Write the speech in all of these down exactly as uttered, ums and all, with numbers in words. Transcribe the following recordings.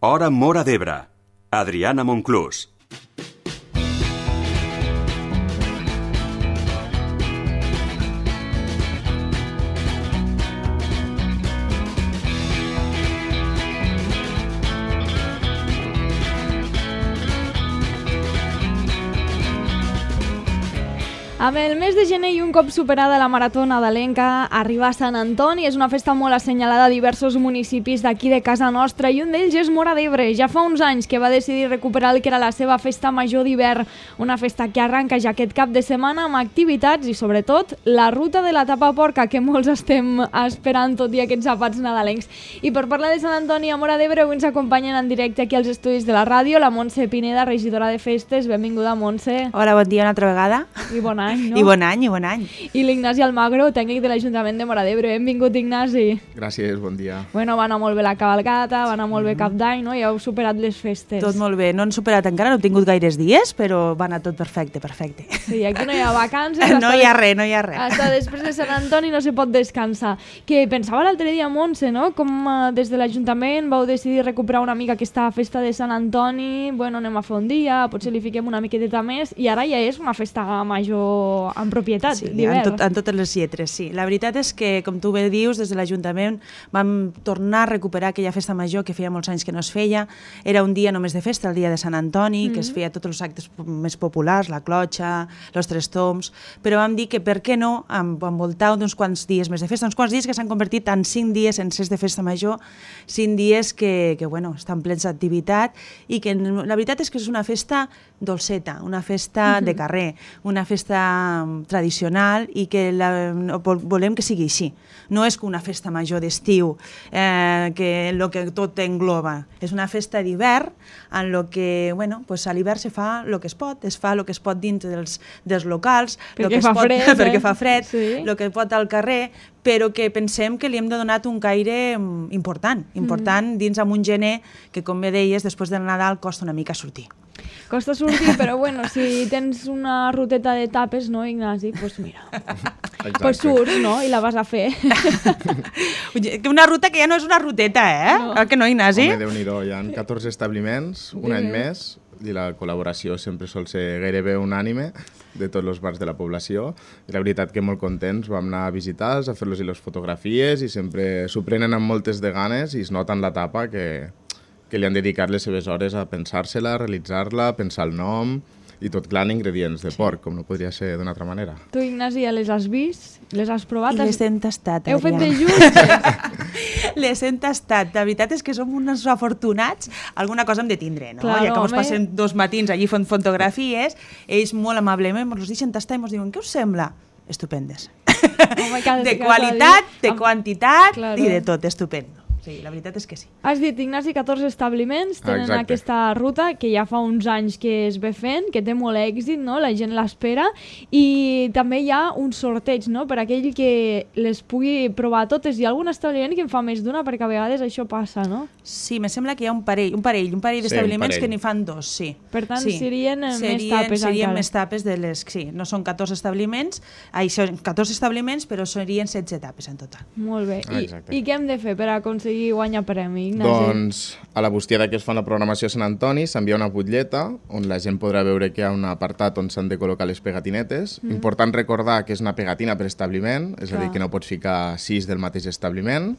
Hora Móra d'Ebre. Adriana Monclús. Amb el mes de gener i un cop superada la marató nadalenca, arriba a Sant Antoni. És una festa molt assenyalada a diversos municipis d'aquí de casa nostra i un d'ells és Móra d'Ebre. Ja fa uns anys que va decidir recuperar el que era la seva festa major d'hivern, una festa que arranca ja aquest cap de setmana amb activitats i sobretot la ruta de la tapa porca que molts estem esperant tot i aquests àpats nadalencs. I per parlar de Sant Antoni a Móra d'Ebre avui ens acompanyen en directe aquí als estudis de la ràdio la Montse Pineda, regidora de festes. Benvinguda, Montse. Hola, bon dia una altra vegada. I bon any. No? I bon any, i bon any. I l'Ignasi Almagro, tècnic de l'Ajuntament de Móra d'Ebre. Benvingut, Ignasi. Gràcies, bon dia. Bueno, va anar molt bé la cavalcata, va anar molt bé Cap d'Any, no? Ja heu superat les festes. Tot molt bé. No han superat encara, no he tingut gaires dies, però va anar tot perfecte, perfecte. Sí, aquí no hi ha vacances. No hi ha res, no hi ha res. Hasta després de Sant Antoni no se pot descansar. Que pensava l'altre dia, Montse, no? Com uh, des de l'Ajuntament vau decidir recuperar una mica aquesta festa de Sant Antoni. Bueno, anem a fer un dia, potser li fiquem una miqueteta més, i ara ja és una festa major en propietat. Sí, en, tot, en totes les lletres, sí. La veritat és que, com tu bé dius, des de l'Ajuntament vam tornar a recuperar aquella festa major que feia molts anys que no es feia. Era un dia només de festa, el dia de Sant Antoni, mm-hmm. que es feia tots els actes més populars, la clotxa, els tres tombs, però vam dir que per què no envoltar d'uns quants dies més de festa, uns quants dies que s'han convertit en cinc dies sencers de festa major, cinc dies que, que bueno, estan plens d'activitat i que la veritat és que és una festa dolceta, una festa mm-hmm. de carrer, una festa tradicional i que la, volem que sigui així. No és una festa major d'estiu, eh, que el que tot engloba. És una festa d'hivern en lo que, bueno, pues a l'hivern se fa el que es pot, es fa el que es pot dins dels, dels locals, perquè, que fa, es pot, fred, perquè eh? fa fred, sí. el que pot al carrer, però que pensem que li hem de donar un caire important, important mm. dins amb un gener que, com bé deies, després del Nadal costa una mica sortir. Costa sortir, però bueno, si tens una ruteta de tapes, no, Ignasi? Doncs pues mira, doncs pues surts, no?, i la vas a fer. Una ruta que ja no és una ruteta, eh? No. Que no, Ignasi? Home, Déu-n'hi-do, hi ha catorze establiments, un any més, i la col·laboració sempre sol ser gairebé unànime de tots els bars de la població. I la veritat que molt contents, vam anar a visitar-los, a fer-los les fotografies, i sempre s'ho prenen amb moltes de ganes i es nota en la tapa que... que li han dedicat les seves hores a pensar-se-la, a realitzar-la, a pensar el nom i tot clar en ingredients de porc, com no podria ser d'una altra manera. Tu, Ignasi, ja les has vist? Les has provat? I les hem tastat, Heu fet de junts? Les hem tastat. La veritat és que som uns afortunats. Alguna cosa hem de tindre, no? Claro, ja que ens home. passem dos matins allí fent fotografies, ells molt amablement ens deixen tastar i ens diuen què us sembla? Estupendes. Home, cada, de cada qualitat, dia... de quantitat claro. i de tot, estupendo. Sí, la veritat és que sí. Has dit, Ignasi, catorze establiments tenen Exacte. aquesta ruta que ja fa uns anys que es ve fent, que té molt èxit, no? La gent l'espera, i també hi ha un sorteig, no?, per aquell que les pugui provar totes. Hi ha algun establiment que en fa més d'una, perquè a vegades això passa, no? Sí, me sembla que hi ha un parell, un parell, un parell d'establiments sí, que n'hi fan dos, sí. Per tant, sí. serien, serien més tapes serien encara. més tapes de les... Sí, no són catorze establiments, ai, són catorze establiments, però serien setze tapes en total. Molt bé. I, Exacte. I què hem de fer per aconseguir guanyar premi? Ignasi? Doncs a la bústia que es fa una programació a Sant Antoni s'envia una butlleta on la gent podrà veure que hi ha un apartat on s'han de col·locar les pegatinetes. Mm. Important recordar que és una pegatina per establiment, és Clar. a dir, que no pots ficar sis del mateix establiment.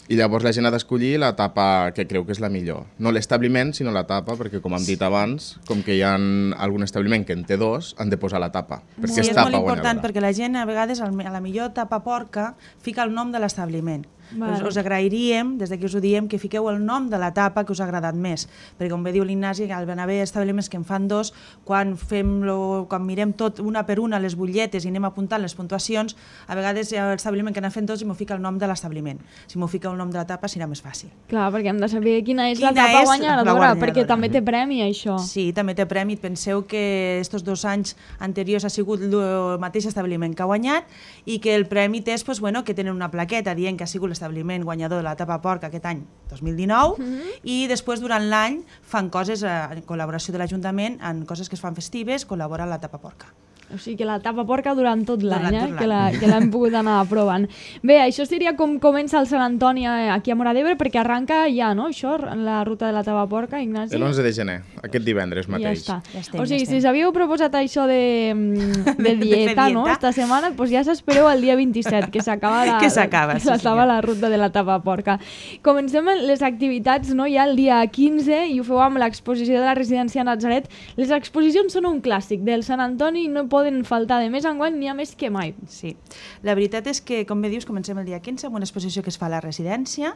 I llavors la gent ha d'escollir la tapa que creu que és la millor. No l'establiment, sinó la tapa, perquè com hem dit abans, com que hi ha algun establiment que en té dos, han de posar la tapa, perquè Sí, és és tapa molt important guanyadora. perquè la gent a vegades a la millor tapa porca fica el nom de l'establiment. Vale. Us, us agrairíem, des d'aquí us ho diem, que fiqueu el nom de la tapa que us ha agradat més, perquè com bé diu l'Ignasi, al van haver establiments que en fan dos, quan, fem lo, quan mirem tot una per una les butlletes i anem apuntant les puntuacions, a vegades hi ha l'establiment que n'ha fet dos i m'ho fica el nom de l'establiment. Si m'ho fica el nom de la tapa serà més fàcil. Clar, perquè hem de saber quina és Quina la tapa és guanyadora, la guanyadora. perquè també té premi, això. Sí, també té premi. Penseu que estos dos anys anteriors ha sigut el mateix establiment que ha guanyat i que el premi és pues, bueno, que tenen una plaqueta dient que ha sigut l'establiment guanyador de la tapa porca aquest any dos mil dinou mm-hmm. i després durant l'any fan coses en col·laboració de l'Ajuntament, en coses que es fan festives, col·labora la tapa porca. O sigui que la tapa porca durant tot l'any, eh? tot que l'any. la- que l'hem pogut anar provant. Bé, això seria com comença el Sant Antoni eh, aquí a Móra d'Ebre, perquè arranca ja, no?, això, la ruta de la tapa porca, Ignasi? L'onze de gener, aquest divendres Ja mateix. està. Ja estem, o sigui, ja si estem. s'havíeu proposat això de, mm, de De fer dieta, no?, dieta. esta setmana, doncs ja s'espereu el dia vint-i-set, que s'acaba la, Que s'acaba, la, sí, la, senyor. la ruta de la tapa porca. Comencem amb les activitats, no?, ja el dia quinze, i ho feu amb l'exposició de la residència Natzaret. Les exposicions són un clàssic del Sant Antoni i no poden faltar. De més enguany n'hi ha més que mai. Sí, la veritat és que, com bé dius, comencem el dia quinze amb una exposició que es fa a la residència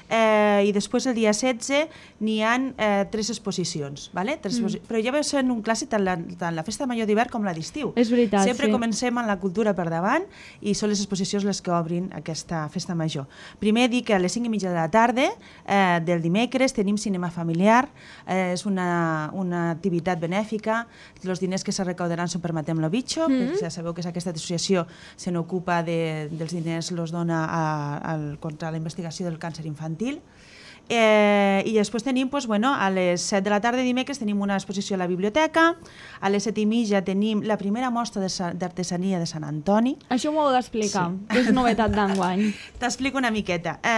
eh, i després el dia setze n'hi ha eh, tres exposicions, ¿vale? tres exposi mm. però ja va ser un clàssic tant la, tant la festa major d'hivern com la d'estiu. És veritat, Sempre sí. comencem amb la cultura per davant i són les exposicions les que obrin aquesta festa major. Primer dir que a les cinc i mitja de la tarda eh, del dimecres tenim cinema familiar, eh, és una, una activitat benèfica, els diners que se recaudaran són per Matem lo Bicho, mm. que ja sabeu que aquesta associació se n'ocupa de, dels diners, los dona a, a, contra la investigació del càncer infantil. Eh, I després tenim, doncs, bueno, a les set de la tarda dimecres tenim una exposició a la biblioteca, a les set i mitja tenim la primera mostra d'artesania de Sant Antoni. Això m'ho heu d'explicar, Sí. que és novetat d'enguany. T'explico una miqueta. Eh,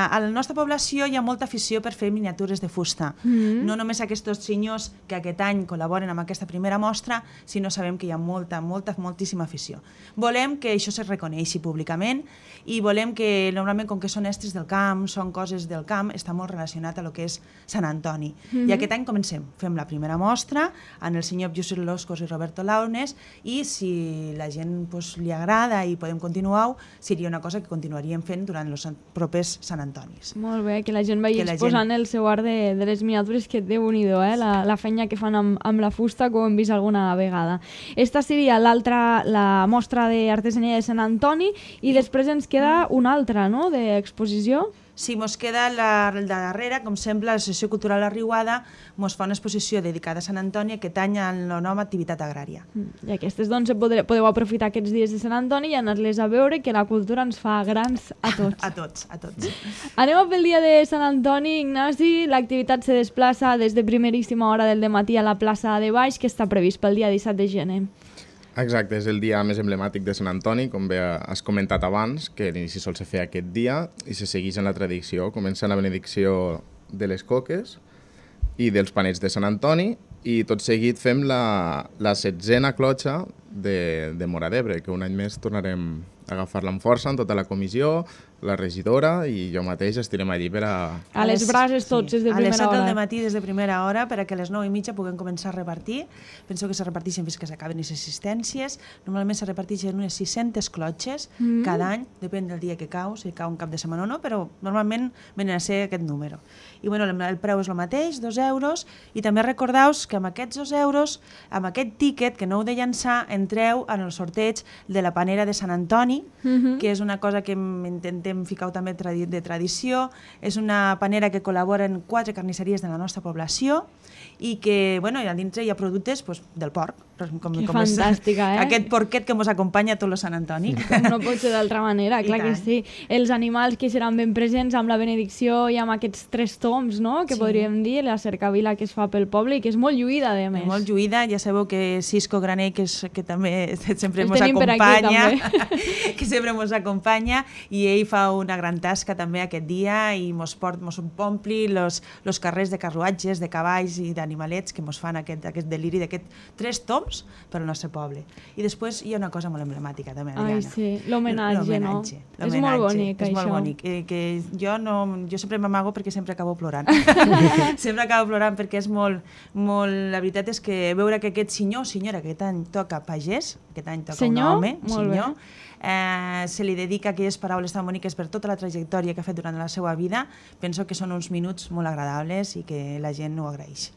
a la nostra població hi ha molta afició per fer miniatures de fusta. Mm. No només aquests senyors que aquest any col·laboren amb aquesta primera mostra, sinó sabem que hi ha molta, molta, moltíssima afició. Volem que això se reconeixi públicament i volem que, normalment, com que són estris del camp, són coses del camp, està molt relacionat a lo que és Sant Antoni. Mm-hmm. I aquest any comencem. Fem la primera mostra amb el senyor Josep Loscos i Roberto Launes i si la gent pues, li agrada i podem continuar, seria una cosa que continuaríem fent durant els propers Sant Antonis. Molt bé, que la gent vagi Que la exposant gent- el seu art de, de les miniatures, que déu-n'hi-do, eh? la, la feina que fan amb, amb la fusta, que ho hem vist alguna vegada. Esta seria l'altra, la mostra d'artesania de Sant Antoni, i després ens queda una altra, no?, d'exposició. Si mos queda la, la darrera, com sempre, l'Associació Cultural La Riuada mos fa una exposició dedicada a Sant Antoni, aquest any en el nom Activitat Agrària. I aquestes, doncs, podreu, podeu aprofitar aquests dies de Sant Antoni i anar-les a veure, que la cultura ens fa grans a tots. A tots, a tots. Anem a pel dia de Sant Antoni, Ignasi. L'activitat se desplaça des de primeríssima hora del dematí a la plaça de Baix, que està previst pel dia disset de gener. Exacte, és el dia més emblemàtic de Sant Antoni, com bé has comentat abans, que l'inici sol se fer aquest dia i se segueix en la tradició. Comença la benedicció de les coques i dels panets de Sant Antoni i tot seguit fem la, la setzena clotxa de, de Móra d'Ebre, que un any més tornarem a agafar-la amb força amb tota la comissió, la regidora i jo mateix estirem allí per a... A les brases tots, des de A les primera set del hora. dematí des de primera hora per a que a les nou i mitja puguem començar a repartir. Penso que se reparteixen fins que s'acaben les assistències. Normalment se reparteixen unes sis-centes clotxes Mm. cada any, depèn del dia que cau, si cau un cap de setmana o no, però normalment venen a ser aquest número. I bueno, el, el preu és el mateix, dos euros, i també recordaus que amb aquests dos euros, amb aquest tíquet, que no heu de llançar, entreu en el sorteig de la panera de Sant Antoni, Mhm. que és una cosa que em- intentem ficar també tradi de tradició. És una panera que col·laboren quatre carnisseries de la nostra població i que, bueno, a dintre hi ha productes pues, del porc. Com, Que com fantàstica, eh? Aquest porquet que ens acompanya a tot el Sant Antoni. Com no pot ser d'altra manera, I clar que tant. sí. Els animals que seran ben presents amb la benedicció i amb aquests tres toms, no?, que Sí. podríem dir, la cercavila que es fa pel poble i que és molt lluïda, a més. Molt lluïda, ja sabeu que Cisco Graner, que, és, que també sempre El ens tenim per aquí, acompanya, que sempre ens acompanya, i ell fa una gran tasca també aquest dia i mos, port, mos ompli los, los carrers de carruatges, de cavalls i d'animalets que mos fan aquest, aquest deliri d'aquests tres toms per al nostre poble. I després hi ha una cosa molt emblemàtica també, Adriana. Ai, sí, l'homenatge, no? L'homenatge, És molt l'homenatge, bonic, és això. molt bonic. Eh, que jo, no, jo sempre m'amago perquè sempre acabo plorant. sempre acabo plorant perquè és molt, molt... La veritat és que veure que aquest senyor o senyora, que aquest any toca pagès, aquest any toca Senyor? un home, Molt bé. senyor, eh, se li dedica aquelles paraules tan boniques per tota la trajectòria que ha fet durant la seva vida, penso que són uns minuts molt agradables i que la gent ho agraeix.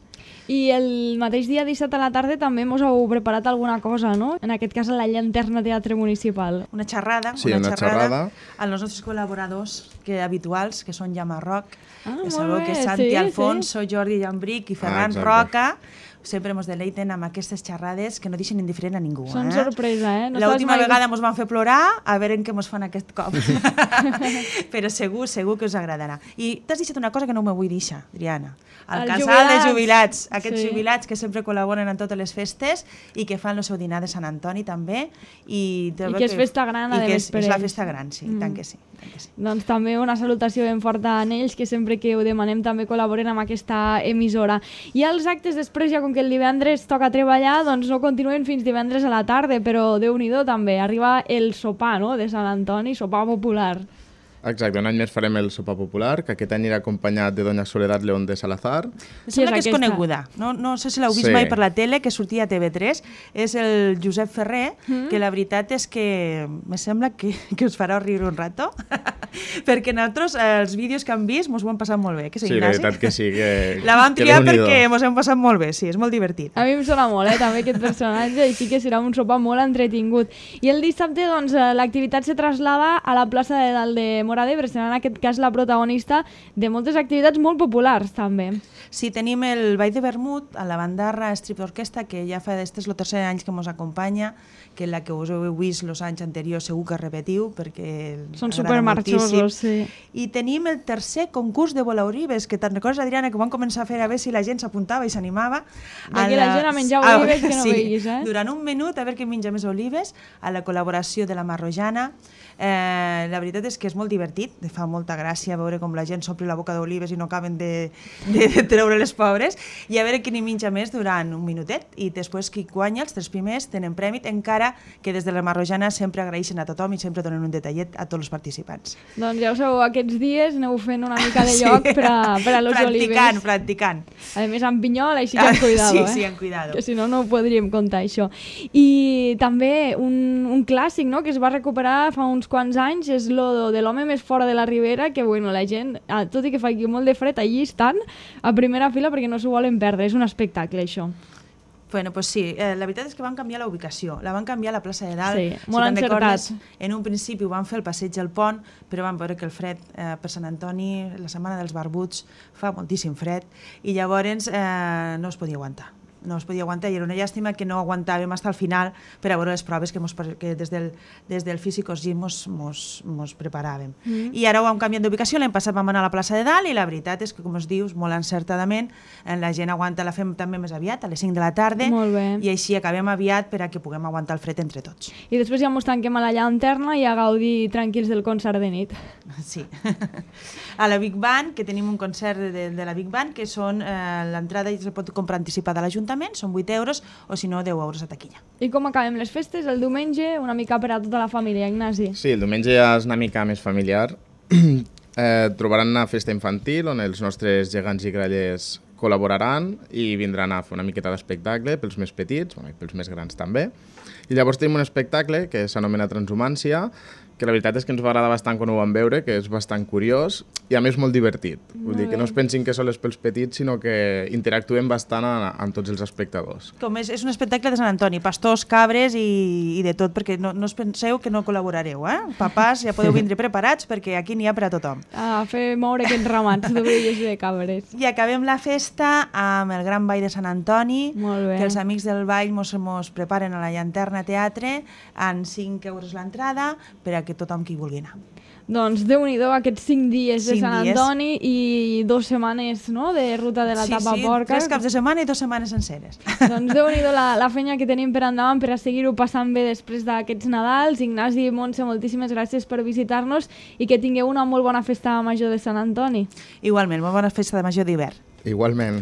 I el mateix dia disset a la tarda també mos heu preparat alguna cosa, no? En aquest cas a la Llanterna Teatre Municipal. Una xerrada, Sí, una, una xerrada, xerrada. als nostres col·laboradors que, habituals, que són Jaume Roc, Ah, que molt sabeu bé, que Santi sí, Alfonso, Jordi Llambric i Ferran exacte. Roca, sempre ens deleiten amb aquestes xerrades que no deixen indiferent a ningú. Són eh? sorpresa, eh? No L'última mai... vegada ens van fer plorar, a veure què ens fan aquest cop. Però segur, segur que us agradarà. I t'has deixat una cosa que no m'ho vull deixar, Adriana. El, el casal jubilats. de jubilats, aquests sí. jubilats que sempre col·laboren en totes les festes i que fan el seu dinar de Sant Antoni també. I, I que és festa gran, a més, per ells. És la festa gran, sí, mm. tant que sí. Tant que sí. Doncs també una salutació ben forta a ells, que sempre que ho demanem també col·laboren amb aquesta emissora. I els actes després, ja com que el divendres toca treballar, doncs no continuen fins divendres a la tarda, però Déu-n'hi-do també, arriba el sopar, no?, de Sant Antoni, sopar popular. Exacte, un any més farem el sopar popular, que aquest any irà acompanyat de Doña Soledad León de Salazar. Em sembla que és coneguda, no, no sé si l'heu vist sí. mai per la tele, que sortia a T V tres, és el Josep Ferrer, mm. que la veritat és que me sembla que, que us farà riure un rato, perquè nosaltres els vídeos que hem vist ens ho hem passat molt bé, que sí, sí, Ignasi? la veritat que sí. Que, la vam triar perquè ens hem passat molt bé, sí, és molt divertit. A mi em sona molt, eh, també aquest personatge, i sí que serà un sopar molt entretingut. I el dissabte, doncs, l'activitat se traslada a la plaça de dalt de Móra d'Ebre, serà en aquest cas la protagonista de moltes activitats molt populars també. Sí, tenim el Ball de Vermut a la Bandarra Strip Orquestra, que ja fa d'estes el tercer any que ens acompanya, que la que us heu vist els anys anteriors segur que repetiu, perquè són supermarxosos, sí. I tenim el tercer concurs de volaorives, que te'n recordes, Adriana, que vam començar a fer a veure si la gent s'apuntava i s'animava. D'aquí la gent a menjar olives que no sí, veiguis, eh? Durant un minut, a veure qui menja més olives, a la col·laboració de la Marrojana. Eh, la veritat és que és molt divertit, fa molta gràcia veure com la gent s'omple la boca d'olives i no acaben de, de, de treure les pobres, i a veure qui n'hi menja més durant un minutet, i després qui guanya, els tres primers, tenen prèmit, encara que des de la Marrojana sempre agraeixen a tothom i sempre donen un detallet a tots els participants. Doncs ja ho sabeu, aquests dies aneu fent una mica de lloc sí. per a, per a los practicant, olives. Practicant, practicant. A més, amb pinyol, així que amb cuidado, sí, eh? Sí, amb cuidado. Que si no, no ho podríem contar, això. I també un, un clàssic, no?, que es va recuperar fa uns quants anys, és lo de l'home més fora de la Ribera, que bueno, la gent, tot i que fa aquí molt de fred, allí estan a primera fila perquè no s'ho volen perdre. És un espectacle, això. Bueno, pues sí, eh, la veritat és que van canviar la ubicació, la van canviar a la plaça de Dalt. Sí, molt si encertat. En un principi ho van fer al passeig del Pont, però van veure que el fred eh, per Sant Antoni, la setmana dels barbuts, fa moltíssim fred, i llavors eh, no es podia aguantar. No es podia aguantar i era una llàstima que no aguantàvem fins al final per a veure les proves que, mos, que des del, des del Físicos Gym mos, mos, mos preparàvem. Mm. I ara ho hem canviat d'ubicació, l'hem passat, vam anar a la plaça de Dalt i la veritat és que, com es dius, molt encertadament, la gent aguanta, la fem també més aviat, a les cinc de la tarda, i així acabem aviat per a que puguem aguantar el fred entre tots. I després ja mos tanquem a la llanterna i a gaudir tranquils del concert de nit. Sí. A la Big Band, que tenim un concert de, de la Big Band, que són eh, l'entrada i se pot comprar anticipada a l'Ajuntament, són vuit euros, o si no, deu euros a taquilla. I com acabem les festes? El diumenge, una mica per a tota la família, Ignasi? Sí, el diumenge ja és una mica més familiar. eh, trobaran una festa infantil on els nostres gegants i grallers col·laboraran i vindran a fer una miqueta d'espectacle pels més petits, bueno, i pels més grans també. I llavors tenim un espectacle que s'anomena Transhumància, que la veritat és que ens va agradar bastant quan ho vam veure, que és bastant curiós i a més molt divertit. Vull dir que no es pensin que sols és pels petits, sinó que interactuem bastant amb tots els espectadors. Com és, és un espectacle de Sant Antoni, pastors, cabres i, i de tot, perquè no, no us penseu que no col·laborareu, eh? Papàs, ja podeu vindre preparats perquè aquí n'hi ha per a tothom. A fer moure aquests ramats d'ovelles i de cabres. I acabem la festa amb el Gran Ball de Sant Antoni, molt bé. Que els amics del ball mos, mos preparen a la Llanterna Teatre en cinc euros l'entrada per a que tothom qui vulgui anar. Doncs Déu-n'hi-do aquests cinc dies de cinc Sant dies. Antoni i dos setmanes, no?, de ruta de la sí, tapa sí, porca. Tres caps de setmana i dues setmanes senceres. Doncs Déu-n'hi-do la, la feina que tenim per endavant per a seguir-ho passant bé després d'aquests Nadals. Ignasi i Montse, moltíssimes gràcies per visitar-nos i que tingueu una molt bona festa major de Sant Antoni. Igualment, molt bona festa de major d'hivern. Igualment.